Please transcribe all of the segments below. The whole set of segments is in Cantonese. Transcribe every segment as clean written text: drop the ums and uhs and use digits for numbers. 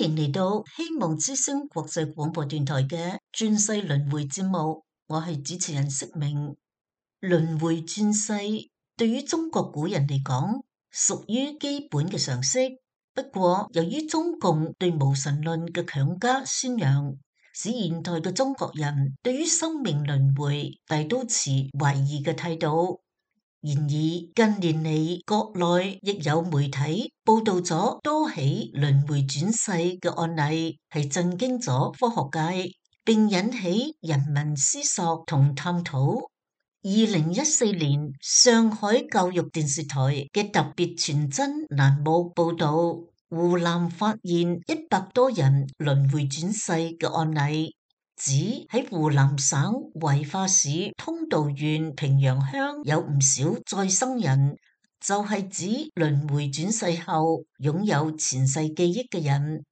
迎嚟到希望之聲國際廣播電台嘅轉世輪迴節目，我係主持人釋明。輪迴轉世對於中國古人嚟講，屬於基本嘅常識。不過，由於中共對無神論嘅強加宣揚，使現代嘅中國人對於生命輪迴大都持懷疑嘅態度。然而近年嚟，國內亦有媒體報道咗多起輪迴轉世嘅案例，係震驚咗科學界，並引起人民思索同探討。2014年上海教育電視台嘅特別傳真欄目報道，湖南發現100多人輪迴轉世嘅案例。指喺湖南省懷化市通道縣平陽鄉有唔少再生人，就係指輪迴轉世後擁有前世記憶嘅人。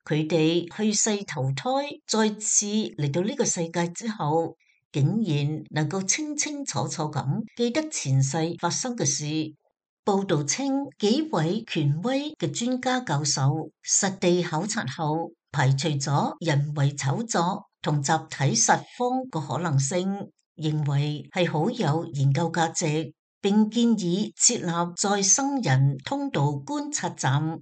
佢哋去世投胎，再次嚟到呢個世界之後，竟然能夠清清楚楚咁記得前世發生嘅事。報道稱，幾位權威嘅專家教授實地考察後，排除咗人為炒作同集體實謊個可能性，認為係好有研究價值，並建議設立再生人通道觀察站。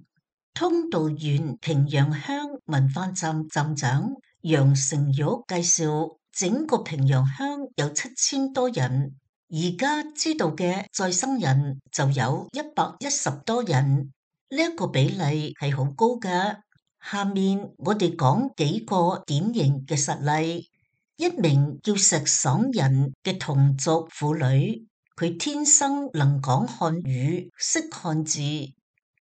通道縣平陽鄉文化站站長楊成玉介紹，整個平陽鄉有7000多人，而家知道嘅再生人就有110多人，呢個比例係好高㗎。下面我哋講幾個典型嘅實例。一名叫石爽人嘅同族婦女，佢天生能講漢語，識漢字。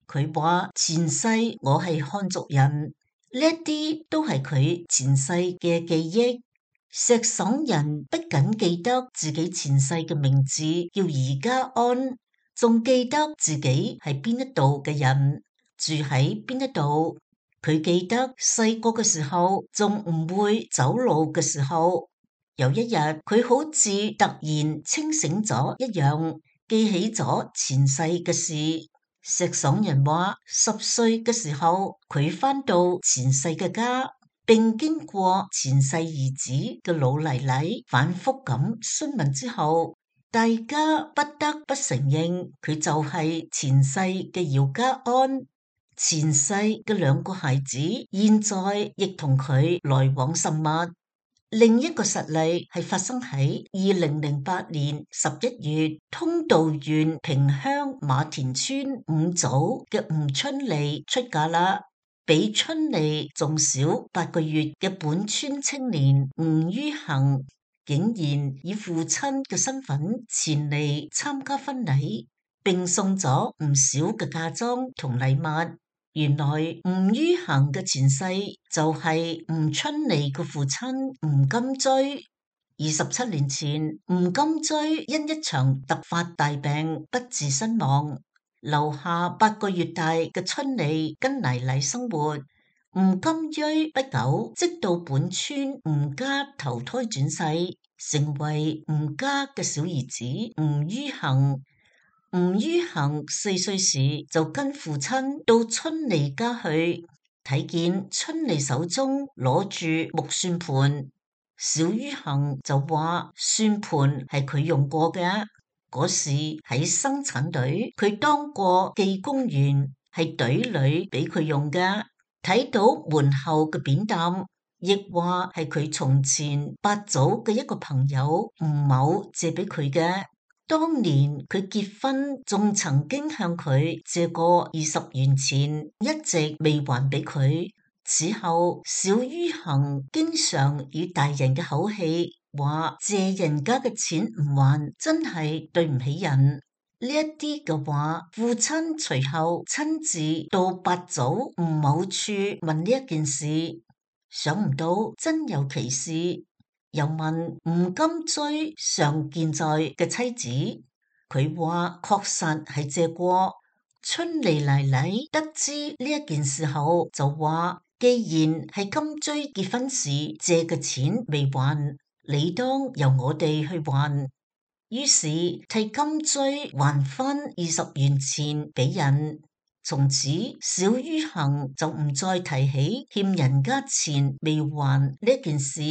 佢話前世我係漢族人，呢啲都係佢前世嘅記憶。石爽人不僅記得自己前世嘅名字叫宜家安，仲記得自己係邊一度嘅人，住喺邊一度。佢記得細個嘅時候仲唔會走路嘅時候，有一日佢好似突然清醒咗一樣，記起咗前世嘅事。石爽人話10歲嘅時候佢返到前世嘅家，並經過前世兒子嘅老奶奶反覆咁詢問之後，大家不得不承認佢就係前世嘅姚家安。前世嘅2個孩子現在亦同佢來往甚密。另一個實例係發生喺2008年11月，通道縣平鄉馬田村5組嘅吳春麗出嫁啦。比春麗仲小8個月嘅本村青年吳于恒，竟然以父親嘅身份前嚟參加婚禮，並送咗唔少嘅嫁妝同禮物。原來吳于恒嘅前世就係吳春麗嘅父親吳金追。27年前，吳金追因一場突發大病不治身亡，留下8個月大嘅春麗跟奶奶生活。吳金追不久即到本村吳家投胎轉世，成為吳家嘅小兒子吳于恒。吳于恒4歲時就跟父親到春麗家去，睇見春麗手中攞住木算盤，小于恒就話算盤係佢用過嘅。嗰時喺生產隊，佢當過技工員，係隊裏俾佢用嘅。睇到門後嘅扁擔，亦話係佢從前8組嘅一個朋友吳某借俾佢嘅。當年佢結婚仲曾經向佢借過20元錢，一直未還俾佢。此後小于恒經常以大人嘅口氣話借人家嘅錢唔還，真係對唔起人。呢一啲嘅話，父親隨後親自到8組吳某處問呢一件事，想唔到真有其事。又問吳金追尚健在嘅妻子，佢話確實係借過。春麗奶奶得知呢一件事後就話，既然係金追結婚時借嘅錢未還，理當由我哋去還。於是替金追還返20元錢俾人。從此小於行就唔再提起欠人家錢未還呢件事。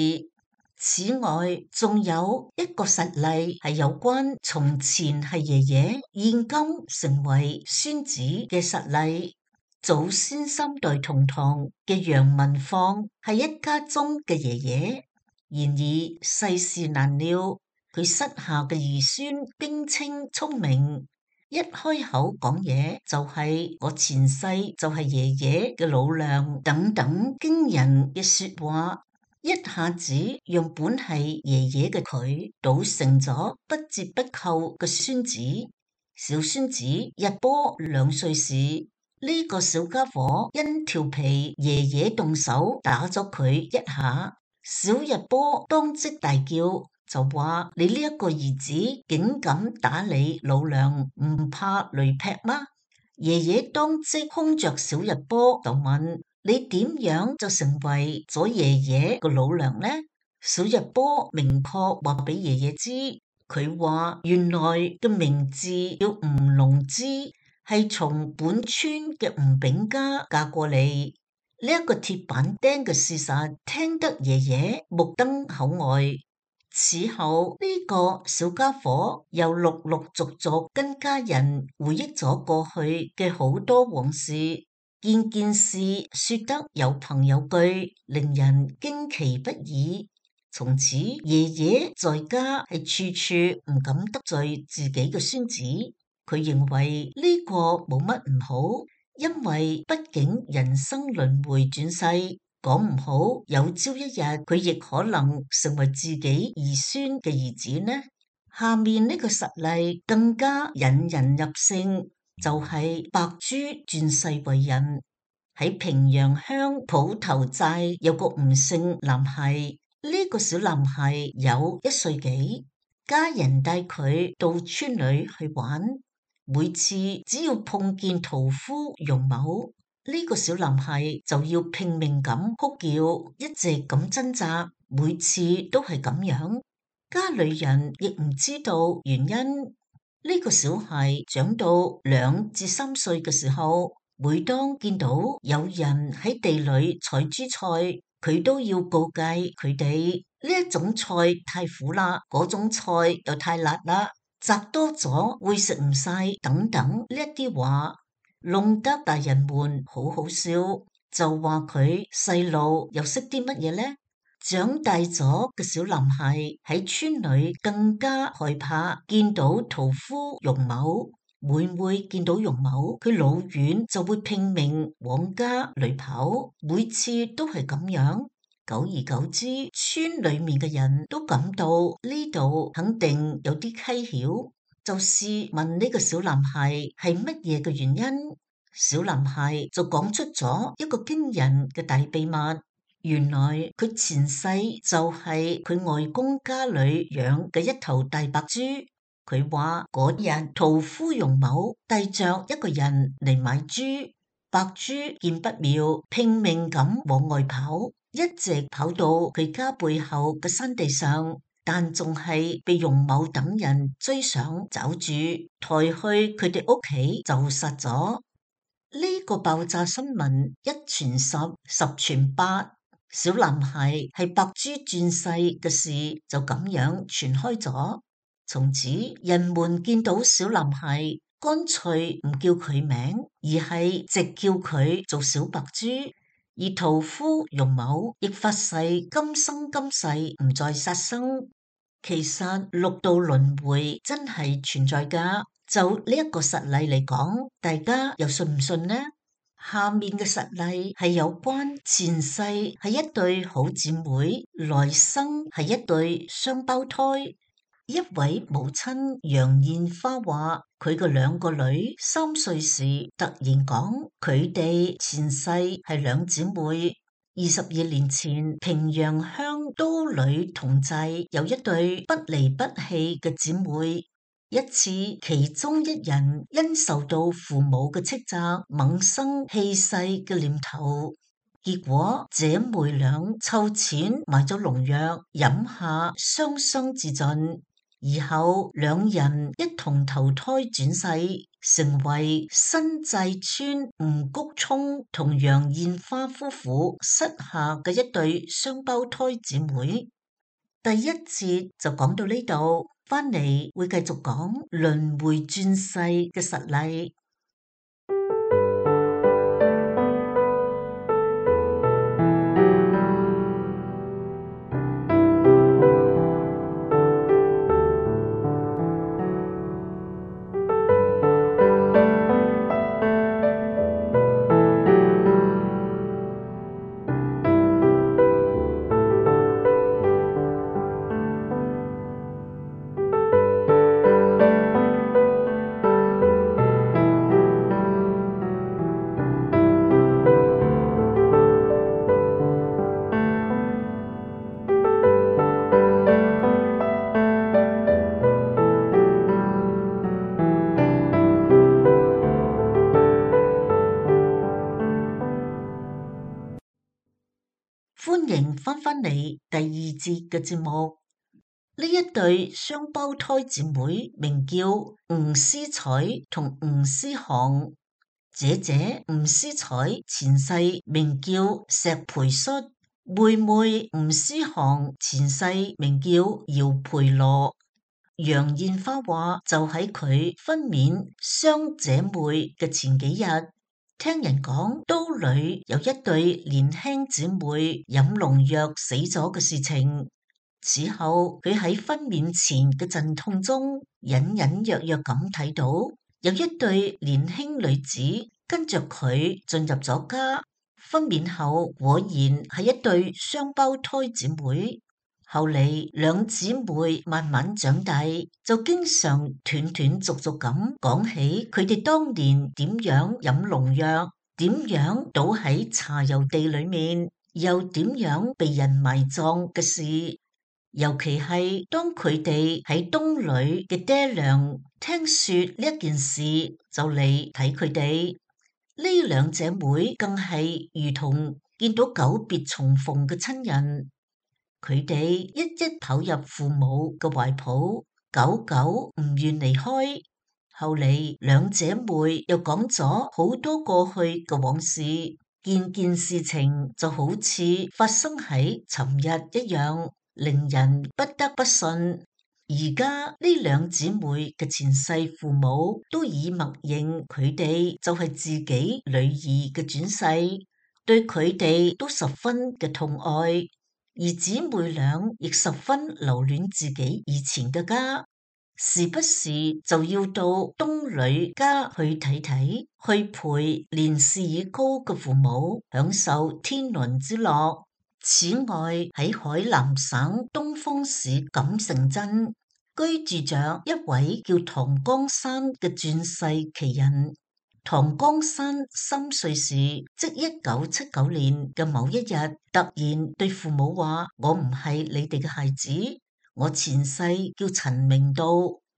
此外，仲有一個實例係有關從前係爺爺，現今成為孫子嘅實例。祖先三代同堂嘅楊文放係一家中嘅爺爺，然而世事難料，佢膝下嘅兒孫冰清聰明，一開口講嘢就係我前世就係爺爺嘅老娘等等驚人嘅說話，一下子讓本係爺爺嘅佢倒成咗不折不扣嘅孫子。小孫子日波2歲時，呢個小家伙因調皮，爺爺動手打咗佢一下，小日波當即大叫，就話你呢一個兒子竟敢打你老娘，唔怕雷劈嗎？爺爺當即兇着小日波就問，你點樣就成為咗爺爺個老娘呢？小日波明確話俾爺爺知，佢話原來嘅名字叫吳龍之，係從本村嘅吳炳家嫁過嚟。呢一個鐵板釘嘅事實，聽得爺爺目瞪口呆。此後呢個小家伙又陸陸續續跟家人回憶咗過去嘅好多往事，件件事說得有憑有據，令人驚奇不已。從此爺爺在家係處處唔敢得罪自己嘅孫子，佢認為呢個冇乜唔好，因為畢竟人生輪迴轉世，講唔好有朝一日佢亦可能成為自己兒孫嘅兒子呢。下面呢個實例更加引人入勝，就係白珠轉世為人。喺平陽鄉普頭寨有個吳姓男孩，呢個小男孩有1歲幾，家人帶佢到村裏去玩，每次只要碰見屠夫容某，呢個小男孩就要拼命咁哭叫，一直咁掙扎，每次都係咁樣。家裏人亦唔知道原因。呢個小孩長到2至3歲嘅時候，每當見到有人喺地裏採珠菜，佢都要告誡佢哋，呢一種菜太苦啦，嗰種菜又太辣啦，摘多咗會食唔晒等等呢一啲話，弄得大人們好好笑，就話佢細路又識啲乜嘢呢？長大咗嘅小男孩喺村裏更加害怕見到屠夫容某。每每見到容某，佢老遠就會拼命往家裏跑，每次都係咁樣。久而久之，村裏面嘅人都感到呢度肯定有啲蹊蹺，就試問呢個小男孩係乜嘢嘅原因。小男孩就講出咗一個驚人嘅大秘密，原來佢前世就係佢外公家裏養嘅一頭大白豬。佢話嗰日屠夫容某帶着一個人嚟買豬，白豬見不妙，拼命咁往外跑，一直跑到佢家背後嘅山地上，但仲係被容某等人追上抓住，抬去佢哋屋企就殺咗。呢個爆炸新聞一傳十，十傳百，小男孩係白豬轉世嘅事就咁樣傳開咗。從此人們見到小男孩，乾脆唔叫佢名，而係直叫佢做小白豬。而屠夫容某亦發誓今生今世唔再殺生。其實六道輪迴真係存在噶，就呢一個實例嚟講，大家又信唔信呢？下面嘅實例係有關前世係一對好姊妹，來生係一對雙胞胎。一位母親楊燕花話，佢嘅2個女3歲時突然講，佢哋前世係2姊妹。22年前，平陽鄉都裏同寨有一對不離不棄嘅姊妹。一次，其中一人因受到父母嘅斥責，萌生棄世嘅念頭。結果姐妹倆湊錢買咗農藥，飲下雙雙自盡。而後兩人一同投胎轉世，成為新界村吳谷聰同楊燕花夫婦膝下嘅一對雙胞胎姊妹。第一節就講到呢度，翻嚟會繼續講輪迴轉世嘅實例。歡迎翻返嚟第二節嘅節目。呢一對雙胞胎姊妹名叫吳思彩同吳思航。姐姐吳思彩前世名叫石培率，妹妹吳思航前世名叫姚培羅。楊燕花話就喺佢分娩雙姐妹嘅前幾日，聽人講都裏有一對年輕姊妹飲農藥死咗嘅事情。此後佢喺分娩前嘅陣痛中，隱隱約約咁睇到有一對年輕女子跟着佢進入咗家。分娩後果然係一對雙胞胎姊妹。後嚟兩姊妹慢慢長大，就經常斷斷續續咁講起佢哋當年點樣飲農藥，點樣倒喺茶油地裏面，又點樣被人埋葬嘅事。尤其係當佢哋喺東裏嘅爹娘聽說呢一件事，就嚟睇佢哋。呢兩姐妹更係如同見到久別重逢嘅親人。佢哋一一跑入父母嘅懷抱，久久唔願離開。後嚟兩姐妹又講咗好多過去嘅往事，件件事情就好似發生喺尋日一樣，令人不得不信。而家呢兩姊妹嘅前世父母都已默認佢哋就係自己女兒嘅轉世，對佢哋都十分嘅痛愛。而姊妹倆亦十分留戀自己以前嘅家，時不時就要到東女家去睇睇，去陪年事已高嘅父母享受天倫之樂。此外，喺海南省東方市錦城鎮居住着一位叫唐江山嘅轉世奇人。唐江山3歲時，即1979年嘅某一日，突然對父母話：我唔係你哋嘅孩子，我前世叫陳明道，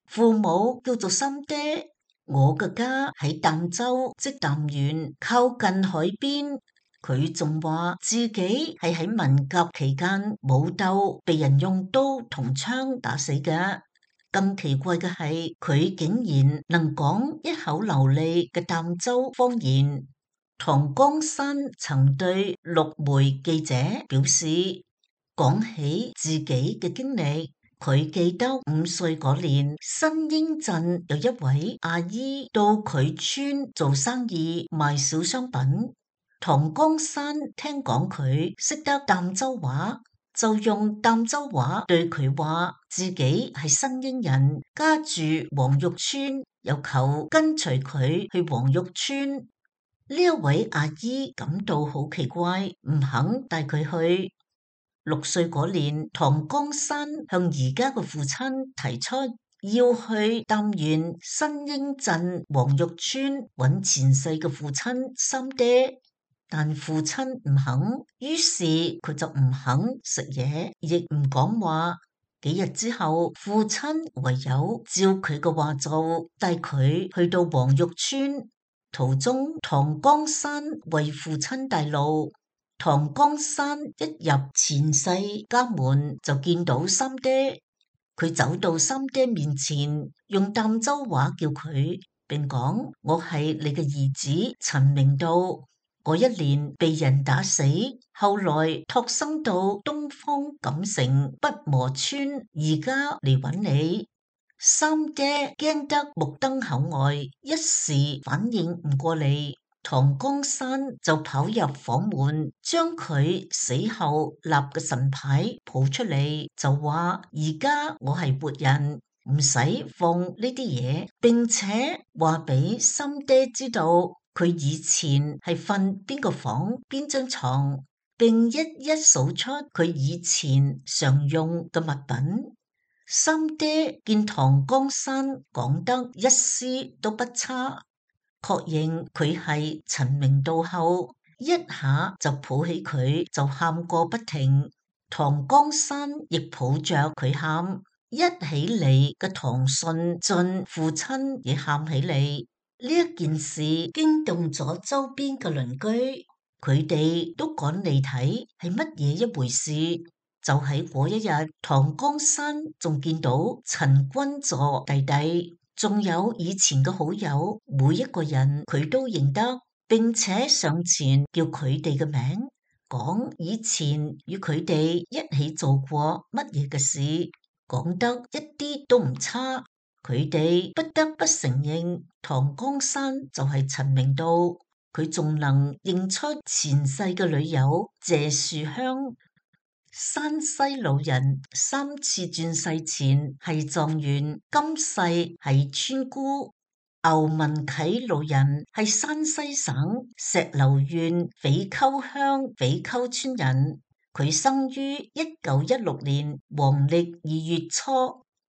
父母叫做三爹，我嘅家喺儋州，即儋縣，靠近海邊。佢仲話自己係喺文革期間武鬥，被人用刀同槍打死嘅。更奇怪嘅係，佢竟然能講一口流利嘅儋州方言。唐江山曾對陸媒記者表示，講起自己嘅經歷，佢記得5歲嗰年，新英鎮有一位阿姨到佢村做生意賣小商品。唐江山聽講佢識得儋州話，就用儋州話對佢話自己係新英人，家住黃玉村，又求跟隨佢去黃玉村。呢一位阿姨感到好奇怪，唔肯帶佢去。6歲嗰年，唐江山向而家嘅父親提出要去儋縣新英鎮黃玉村揾前世嘅父親三爹。但父親唔肯，於是佢就唔肯食嘢，亦唔講話。幾日之後，父親唯有照佢嘅話做，帶佢去到黃玉村。途中，唐江山為父親帶路。唐江山一入前世家門，就見到三爹。佢走到三爹面前，用儋州話叫佢，並講：我係你嘅兒子陳明道。嗰一年被人打死，後來託生到東方錦城北磨村，而家嚟揾你。三爹驚得目瞪口呆，一時反應唔過嚟。唐江山就跑入房門，將佢死後立嘅神牌抱出嚟，就話：而家我係活人，唔使放呢啲嘢，並且話俾三爹知道佢以前係瞓邊個房邊張床，並一一數出佢以前常用嘅物品。三爹見唐江山講得一絲都不差，確認佢係陳明道後，一下就抱起佢就喊個不停。唐江山亦抱着佢喊，一起嚟嘅唐順進父親亦喊起嚟。呢一件事驚動咗周邊嘅鄰居，佢哋都趕嚟睇係乜嘢一回事。就喺嗰一日，唐江山仲見到陳君座弟弟，仲有以前嘅好友，每一個人佢都認得，並且上前叫佢哋嘅名，講以前與佢哋一起做過乜嘢嘅事，講得一啲都唔差。佢哋不得不承認，唐江山就係陳明道，佢仲能認出前世嘅女友謝樹香。山西老人三次轉世前係狀元，今世係村姑。牛文啟老人係山西省石榴縣匪溝鄉匪溝村人，佢生於1916年黃曆2月初，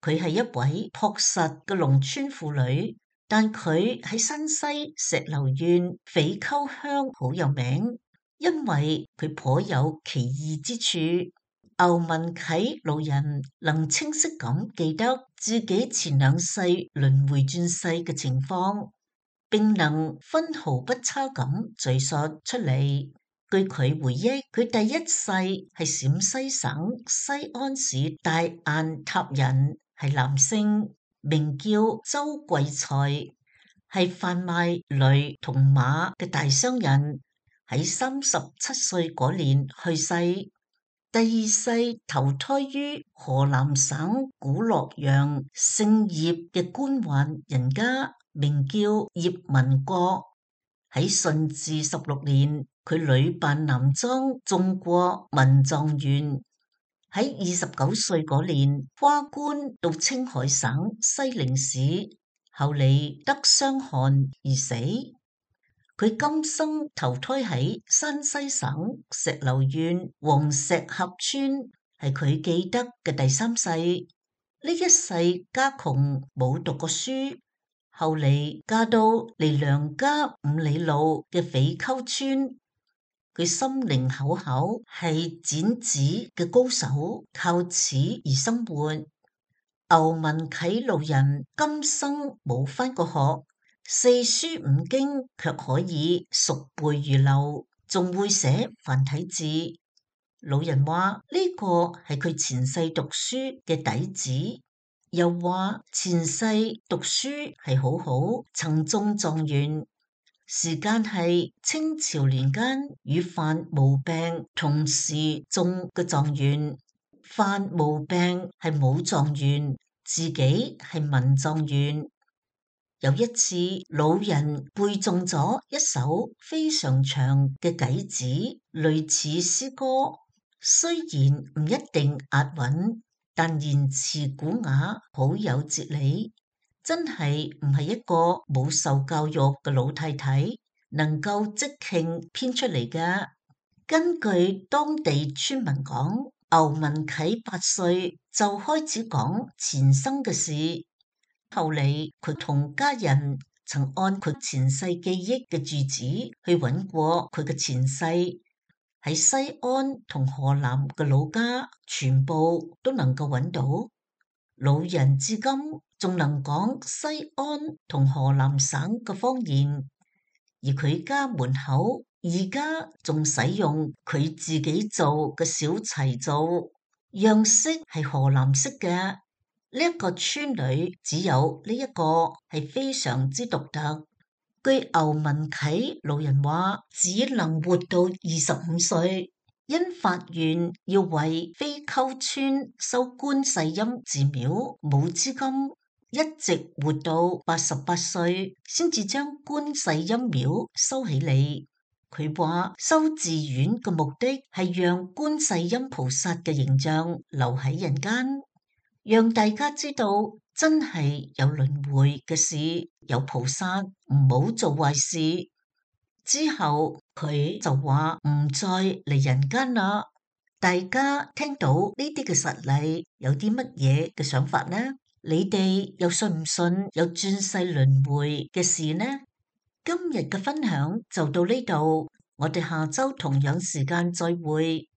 佢係一位樸實嘅農村婦女，但佢喺山西石榴縣匪溝鄉好有名。因為佢頗有奇異之處，牛文啟老人能清晰咁記得自己前兩世輪迴轉世嘅情況，並能分毫不差咁敘述出嚟。據佢回憶，佢第一世係陝西省西安市大雁塔人，係男性，名叫周貴才，係販賣驢同馬嘅大商人。喺37歲嗰年去世，第二世投胎於河南省古洛陽姓葉嘅官宦人家，名叫葉文國。喺順治16年，佢屢扮男裝中過文狀元。喺29歲嗰年，跨官到青海省西寧市，後嚟得傷寒而死。佢今生投胎喺山西省石榴縣黃石峽村，係佢記得嘅第三世。呢一世家窮，冇讀過書，後嚟嫁到離娘家5里路嘅匪溝村。佢心靈口巧，係剪紙嘅高手，靠此而生活。牛文啟老人今生冇返過學，四書五經卻可以熟背如流，仲會寫繁體字。老人話呢個係佢前世讀書嘅底子，又話前世讀書係好好，曾中狀元。時間係清朝年間與范無病同時中嘅狀元，范無病係武狀元，自己係文狀元。有一次，老人背誦咗一首非常長嘅偈子，類似詩歌，雖然唔一定押韻，但言辭古雅，好有哲理。真係唔係一個冇受教育嘅老太太能夠即興編出嚟㗎。根據當地村民講，牛文啟8歲就開始講前生嘅事。後嚟佢同家人曾按佢前世記憶嘅住址去揾過佢嘅前世，喺西安同河南嘅老家全部都能夠揾到。老人至今仲能講西安同河南省嘅方言，而佢家門口而家仲使用佢自己做嘅小柴灶，樣式係河南式嘅。呢一個村裏只有呢一個係非常之獨特。據牛文啟老人話，只能活到25歲，因法院要為非溝村收觀世音寺廟冇資金，一直活到88歲，先至將觀世音廟收起嚟。佢話修寺院嘅目的係讓觀世音菩薩嘅形象留喺人間，讓大家知道真係有輪迴嘅事，有菩薩，唔好做壞事。之後佢就話唔再嚟人間啦。大家聽到呢啲嘅實例，有啲乜嘢嘅想法呢？你哋又信唔信有轉世輪迴嘅事呢？今日嘅分享就到呢度，我哋下周同樣時間再會。